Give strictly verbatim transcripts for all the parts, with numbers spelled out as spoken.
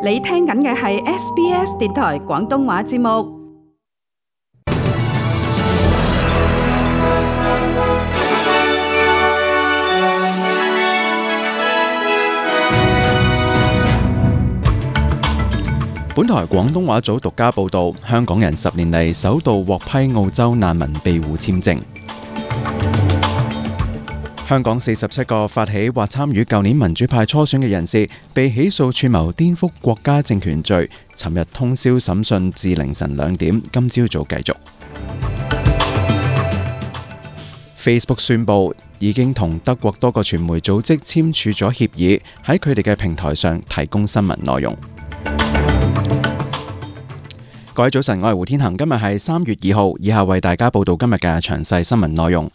你聽緊嘅係 S B S 電台廣東話節目。本台廣東話組獨家報導，香港人十年嚟首度獲批澳洲難民庇護簽證。香港四十七個發起或參與舊年民主派初選嘅人士，被起訴串謀顛覆國家政權罪，尋日通宵審訊至凌晨兩點，今朝早繼續。Facebook 宣布已經同德國多個傳媒組織簽署咗協議，喺佢哋嘅平台上提供新聞內容。各位早晨，我係胡天恒，今日係三月二號，以下為大家報道今日嘅詳細新聞內容。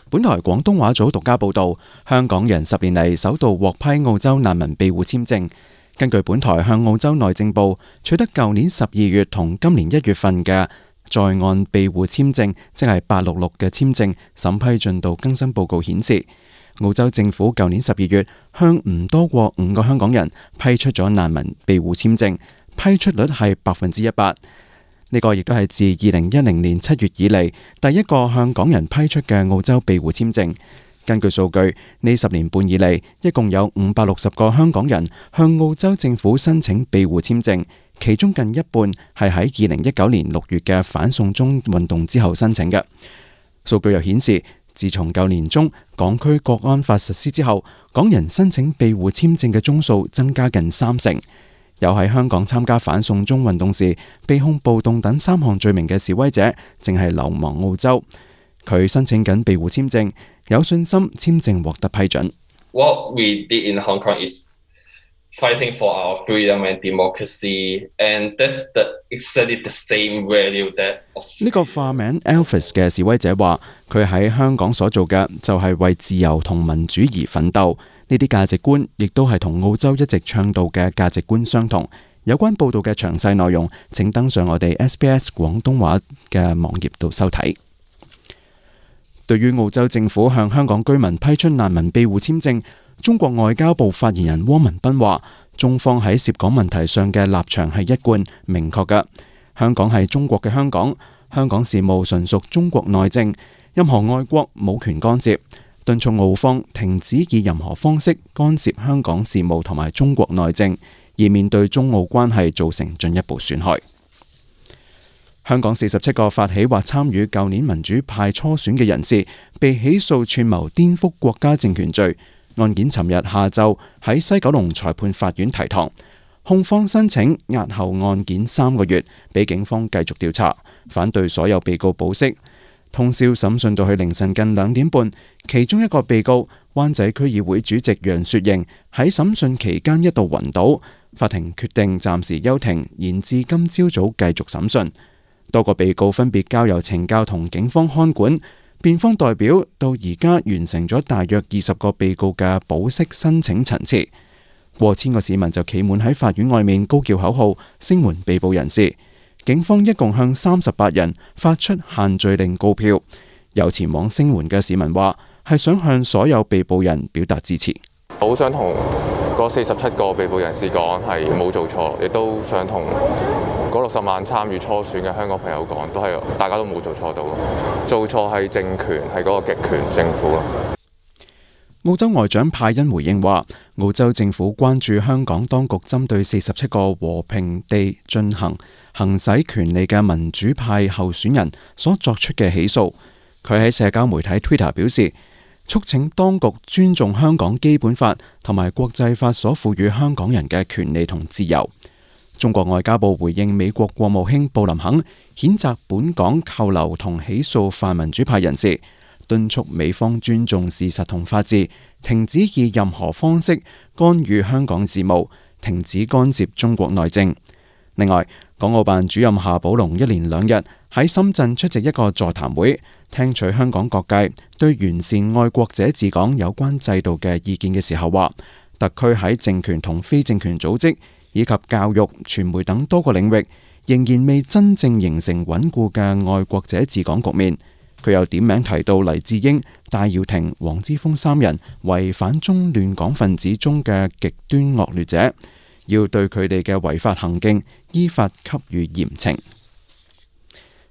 本台廣東話組獨家報道，香港人十年嚟首度獲批澳洲難民庇護簽證。根據本台向澳洲內政部取得舊年十二月同今年一月份嘅在岸庇護簽證，即係八六六嘅簽證審批進度更新報告顯示，澳洲政府舊年十二月向唔多過五個香港人批出咗難民庇護簽證，批出率係百分之一百。呢個亦都係自二零一零年七月以嚟第一個向港人批出嘅澳洲庇護簽證。根據數據，呢十年半以嚟，一共有五百六十個香港人向澳洲政府申請庇護簽證，其中近一半係喺二零一九年六月嘅反送中運動之後申請嘅。數據又顯示，自從舊年中港區國安法實施之後，港人申請庇護簽證嘅宗數增加近三成。有喺香港參加反送中運動時被控暴動等三項罪名嘅示威者，正係流亡澳洲。佢申請緊庇護簽證，有信心簽證獲得批准。What we did in Hong Kong is fighting for our freedom and democracy, and that's the exactly the same value that. 呢個化名 Elvis 嘅示威者話，佢喺香港所做嘅就係為自由同民主而奮鬥。呢啲價值觀亦都係同澳洲一直倡導嘅價值觀相同。有關報道嘅詳細內容，請登上我哋 S B S 廣東話嘅網頁度收睇。對於澳洲政府向香港居民批出難民庇護簽證，中國外交部發言人汪文斌話，中方喺涉港問題上嘅立場係一貫明確嘅。香港係中國嘅香港，香港事務純屬中國內政，任何外國冇權干涉。敦促澳方停止以任何方式干涉香港事務同埋中國內政，以免對中澳關係造成進一步損害。香港四十七個發起或參與舊年民主派初選嘅人士，被起訴串謀顛覆國家政權罪。案件尋日下晝喺西九龍裁判法院提堂，控方申請押後案件三個月，俾警方繼續調查，反對所有被告保釋。通宵審訊到去凌晨近兩點半，其中一個被告灣仔區議會主席楊雪盈喺審訊期間一度暈倒，法庭決定暫時休庭，延至今朝早繼續審訊。多個被告分別交由懲教同警方看管，辯方代表到而家完成咗大約二十個被告嘅保釋申請陳詞，過千個市民就企滿喺法院外面高叫口號，聲援被捕人士。警方一共向三十八人發出限聚令告票，有前往聲援嘅市民話係想向所有被捕人表達支持。好想同嗰四十七個被捕人士講係冇做錯，亦都想同嗰六十萬參與初選嘅香港朋友講，都係大家都冇做錯到，做錯係政權，係嗰個極權政府咯。澳洲外長派恩回應話，澳洲政府關注香港當局針對四十七個和平地進行行使權利嘅民主派候選人所作出嘅起訴。佢喺社交媒體 Twitter 表示，促請當局尊重香港基本法同埋國際法所賦予香港人嘅權利同自由。中國外交部回應美國國務卿布林肯譴責本港扣留同起訴泛民主派人士，敦促美方尊重事實同法治，停止以任何方式干預香港事務，停止干涉中國內政。另外，港澳辦主任夏寶龍一連兩日喺深圳出席一個座談會，聽取香港各界對完善愛國者治港有關制度嘅意見嘅時候話，特區喺政權同非政權組織以及教育、傳媒等多個領域，仍然未真正形成穩固嘅愛國者治港局面。佢又點名提到黎智英、戴耀廷、黃之鋒三人為反中亂港分子中嘅極端惡劣者，要對佢哋嘅違法行徑依法給予嚴懲。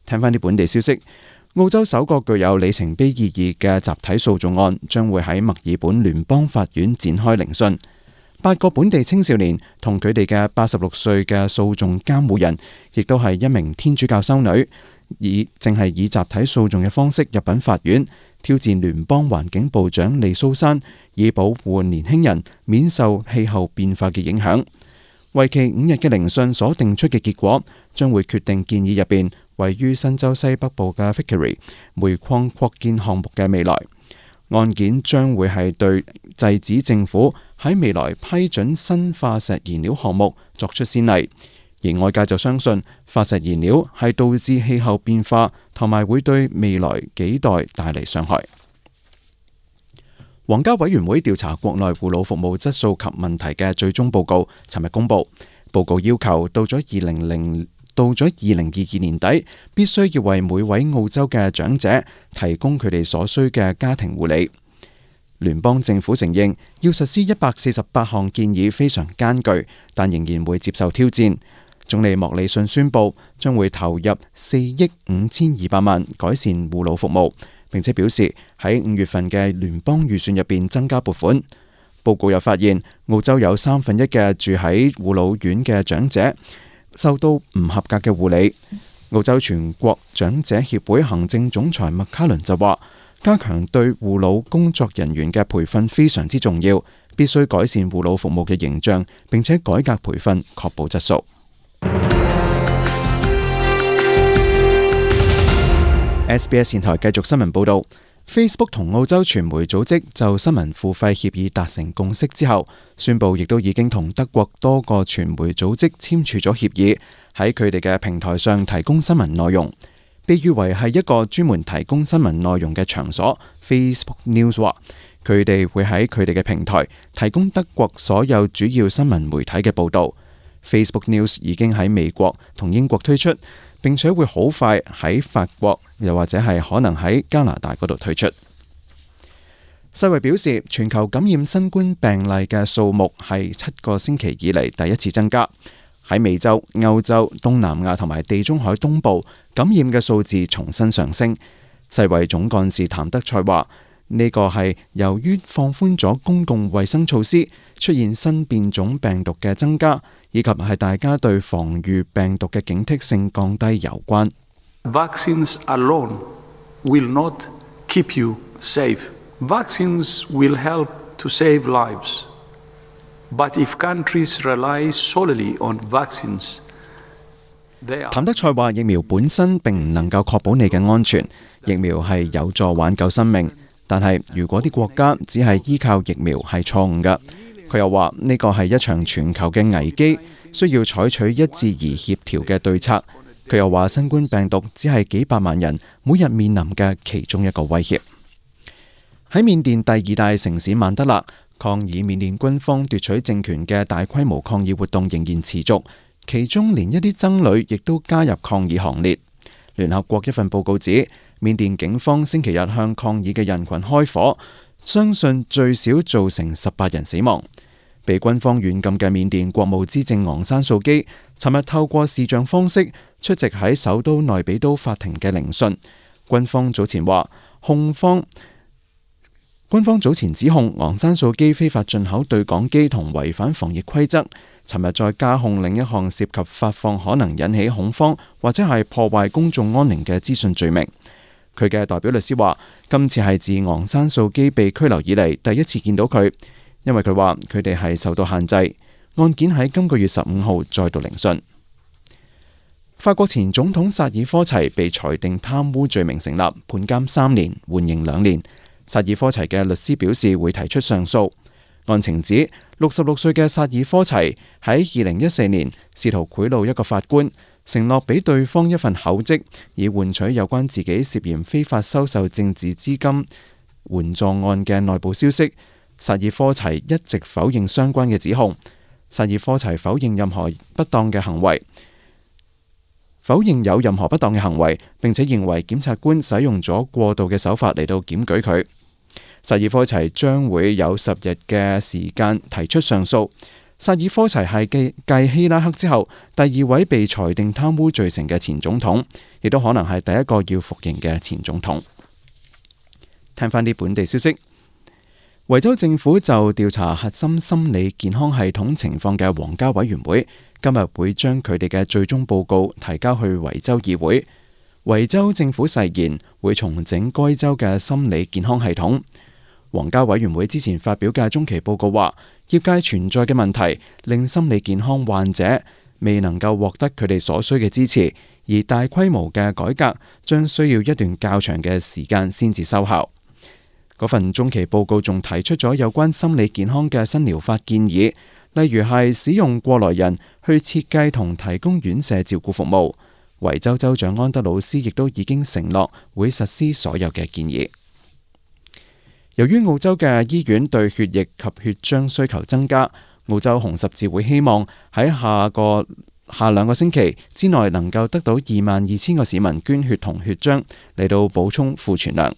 聽返啲本地消息，澳洲首個具有里程碑意義嘅集體訴訟案將會喺墨爾本聯邦法院展開聆訊。八個本地青少年同佢哋嘅八十六歲嘅訴訟監護人，亦都係一名天主教修女，以正係以集體訴訟嘅方式入稟法院，挑戰聯邦環境部長利蘇珊，以保護年輕人免受氣候變化嘅影響。為期五日嘅聆訊所定出嘅結果，將會決定建議入邊位於新州西北部嘅 Vickery 煤礦擴建項目嘅未來。案件將會係對制止政府喺未來批准新化石燃料項目作出先例，而外界就相信化石燃料係導致氣候變化同埋會對未來幾代帶嚟傷害。皇家委員會調查國內護老服務質素及問題嘅最終報告，尋日公佈。報告要求到咗二零零到咗二零二二年底，必須要為每位澳洲嘅長者提供佢哋所需嘅家庭護理。聯邦政府承認要實施一百四十八項建議非常艱巨，但仍然會接受挑戰。總理莫里遜宣布將會投入四億五千二百萬改善護老服務，並且表示喺五月份嘅聯邦預算入邊增加撥款。報告又發現，澳洲有三分一嘅住喺護老院嘅長者受到唔合格嘅護理。澳洲全國長者協會行政總裁麥卡倫就話，加強對護老工作人員嘅培訓非常之重要，必須改善護老服務嘅形象，並且改革培訓，確保質素。S B S 電台繼續新聞報道。Facebook 同澳洲傳媒組織就新聞付費協議達成共識之後，宣布亦都已經同德國多個傳媒組織簽署咗協議，喺佢哋嘅平台上提供新聞內容。被譽為係一個專門提供新聞內容嘅場所 Facebook News 話，佢哋會喺佢哋嘅平台提供德國所有主要新聞媒體嘅報導。Facebook News 已經喺美國同英國推出，並且會好快喺法國，又或者係可能喺加拿大嗰度推出。世衛表示，全球感染新冠病例嘅數目係七個星期以嚟第一次增加。喺美洲、歐洲、東南亞同埋地中海東部感染嘅數字重新上升。世衛總幹事譚德塞話：呢個係由於放寬咗公共衛生措施，出現新變種病毒嘅增加，以及係大家對防禦病毒嘅警惕性降低有關。Vaccines alone will not keep you safe. Vaccines will help to save lives. But if countries rely solely on vaccines, 譚德塞話：疫苗本身並唔能夠確保你嘅安全，疫苗係有助挽救生命。但係如果啲國家只係依靠疫苗係錯誤嘅。佢又話呢個係一場全球嘅危機，需要採取一致而協調嘅對策。佢又話新冠病毒只係幾百萬人每日面臨嘅其中一個威脅。喺緬甸第二大城市曼德勒，抗議緬甸軍方奪取政權嘅大規模抗議活動仍然持續，其中連一啲僧侶亦都加入抗議行列。聯合國一份報告指，緬甸警方星期日向抗議嘅人群開火，相信最少造成十八人死亡。被軍方軟禁嘅緬甸國務資政昂山素基，尋日透過視像方式出席喺首都內比都法庭嘅聆訊。軍方早前話，控方軍方早前指控昂山素基非法進口對講機同違反防疫規則。尋日再加控另一項涉及發放可能引起恐慌或者係破壞公眾安寧嘅資訊罪名。佢嘅代表律師話，今次係自昂山素基被拘留以嚟第一次見到佢，因為佢話佢哋係受到限制。案件喺今個月十五號再度聆訊。法國前總統薩爾科齊被裁定貪污罪名成立，判監三年，緩刑兩年。薩爾科齊嘅律師表示會提出上訴。案情指，六十六歲嘅薩爾科齊喺二零一四年試圖賄賂一個法官，承諾俾對方一份口職，以換取有關自己涉嫌非法收受政治資金援助案嘅內部消息。薩爾科齊一直否認相關嘅指控。薩爾科齊否認任何不當嘅行為，否認有任何不當嘅行為，並且認為檢察官使用咗過度嘅手法嚟到檢舉佢。薩爾科齊將會有十日嘅時間提出上訴。薩爾科齊係繼繼希拉克之後第二位被裁定貪污罪成嘅前總統，亦都可能係第一個要服刑嘅前總統。聽翻啲本地消息，維州政府就調查核心心理健康系統情況嘅皇家委員會今日會將佢哋嘅最終報告提交去維州議會。維州政府誓言會重整該州嘅心理健康系統。皇家委員會之前發表嘅中期報告話，業界存在嘅問題令心理健康患者未能夠獲得佢哋所需嘅支持，而大規模嘅改革將需要一段較長嘅時間先至收效。嗰份中期報告仲提出咗有關心理健康嘅新療法建議，例如係使用過來人去設計同提供院舍照顧服務。維州州長安德魯斯亦都已經承諾會實施所有嘅建議。由於澳洲嘅醫院對血液及血漿需求增加，澳洲紅十字會希望喺下個下兩個星期之內能夠得到二萬二千個市民捐血同血漿嚟到補充庫存量。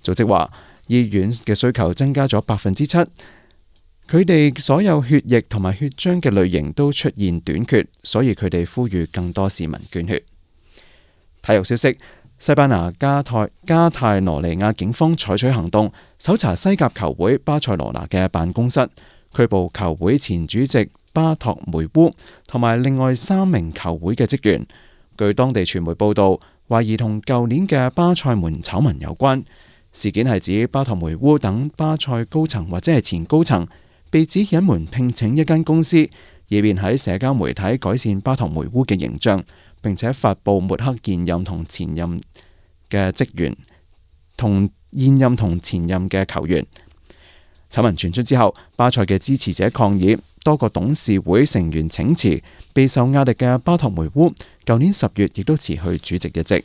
組織話，醫院嘅需求增加咗百分之七，佢哋所有血液同埋血漿嘅類型都出現短缺，所以佢哋呼籲更多市民捐血。體育消息，西班牙加泰加泰羅尼亞警方採取行動，搜查西甲球會巴塞羅那嘅辦公室，拘捕球會前主席巴托梅烏同埋另外三名球會嘅職員。據當地傳媒報道，懷疑同舊年嘅巴塞門醜聞有關。事件係指巴托梅烏等巴塞高層或者係前高層被指隱瞞聘請一間公司，以便喺社交媒體改善巴托梅烏嘅形象，並且發布抹黑現任同前任嘅職員同現任同前任嘅球員。醜聞傳出之後，巴塞嘅支持者抗議，多個董事會成員請辭，備受壓力嘅巴托梅烏舊年十月亦都辭去主席一職。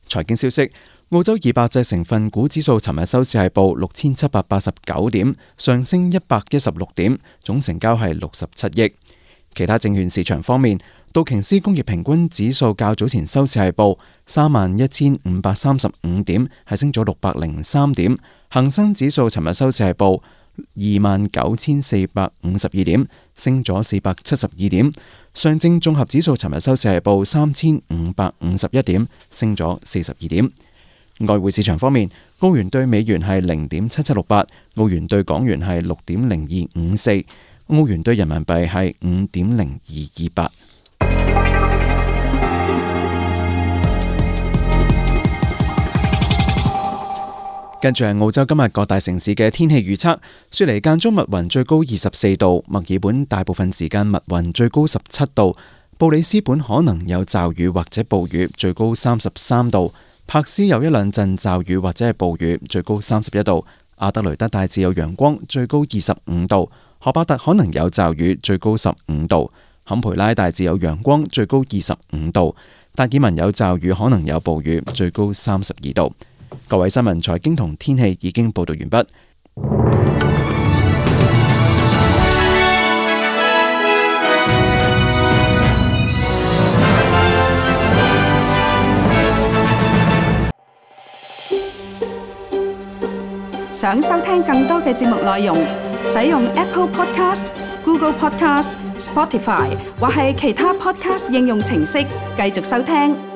財經消息，澳洲二百隻成分股指數尋日收市係報六千七百八十九點，上升一百一十六點，總成交係六十七億。其他證券市場方面，道瓊斯工業平均指數較早前收市係報三萬一千五百三十五點，係升咗六百零三點。恒生指數尋日收市係報二萬九千四百五十二點，升咗四百七十二點。上證綜合指數尋日收市係報三千五百五十一點，升咗四十二點。外匯市場方面，澳元對美元係零點七七六八，澳元對港元係六點零二五四，澳元對人民幣係五點零二二八。跟住係澳洲今日各大城市嘅天氣預測：雪梨間中密雲，最高二十四度；墨爾本大部分時間密雲，最高十七度；布里斯本可能有驟雨或者暴雨，最高三十三度；柏斯有一兩陣驟雨或者係暴雨，最高三十一度；阿德雷德大致有陽光，最高二十五度；荷巴特可能有驟雨，最高十五度；坎培拉大致有陽光，最高二十五度；達爾文有驟雨，可能有暴雨，最高三十二度。各位新聞、財經同天氣已經報道完畢。想收聽更多嘅節目內容，使用 Apple Podcast、Google Podcast、Spotify 或係其他 Podcast 應用程式繼續收聽。